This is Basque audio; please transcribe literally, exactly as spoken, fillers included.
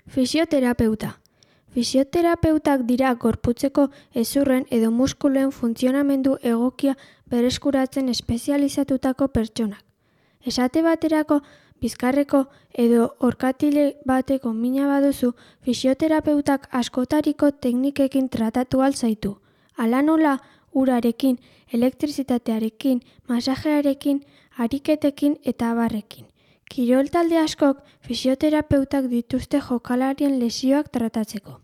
Fisioterapeuta. Fisioterapeutak dira gorputzeko hezurren edo muskulen funtzionamendu egokia berreskuratzen espezializatutako pertsonak. Esate baterako, bizkarreko edo orkatile bateko mina baduzu, fisioterapeutak askotariko teknikekin tratatu ahal zaitu. Hala nola, urarekin, elektrizitatearekin, masajearekin, ariketekin eta abarrekin. Kirol talde askok fisioterapeutak dituzte jokalarien lesioak tratatzeko.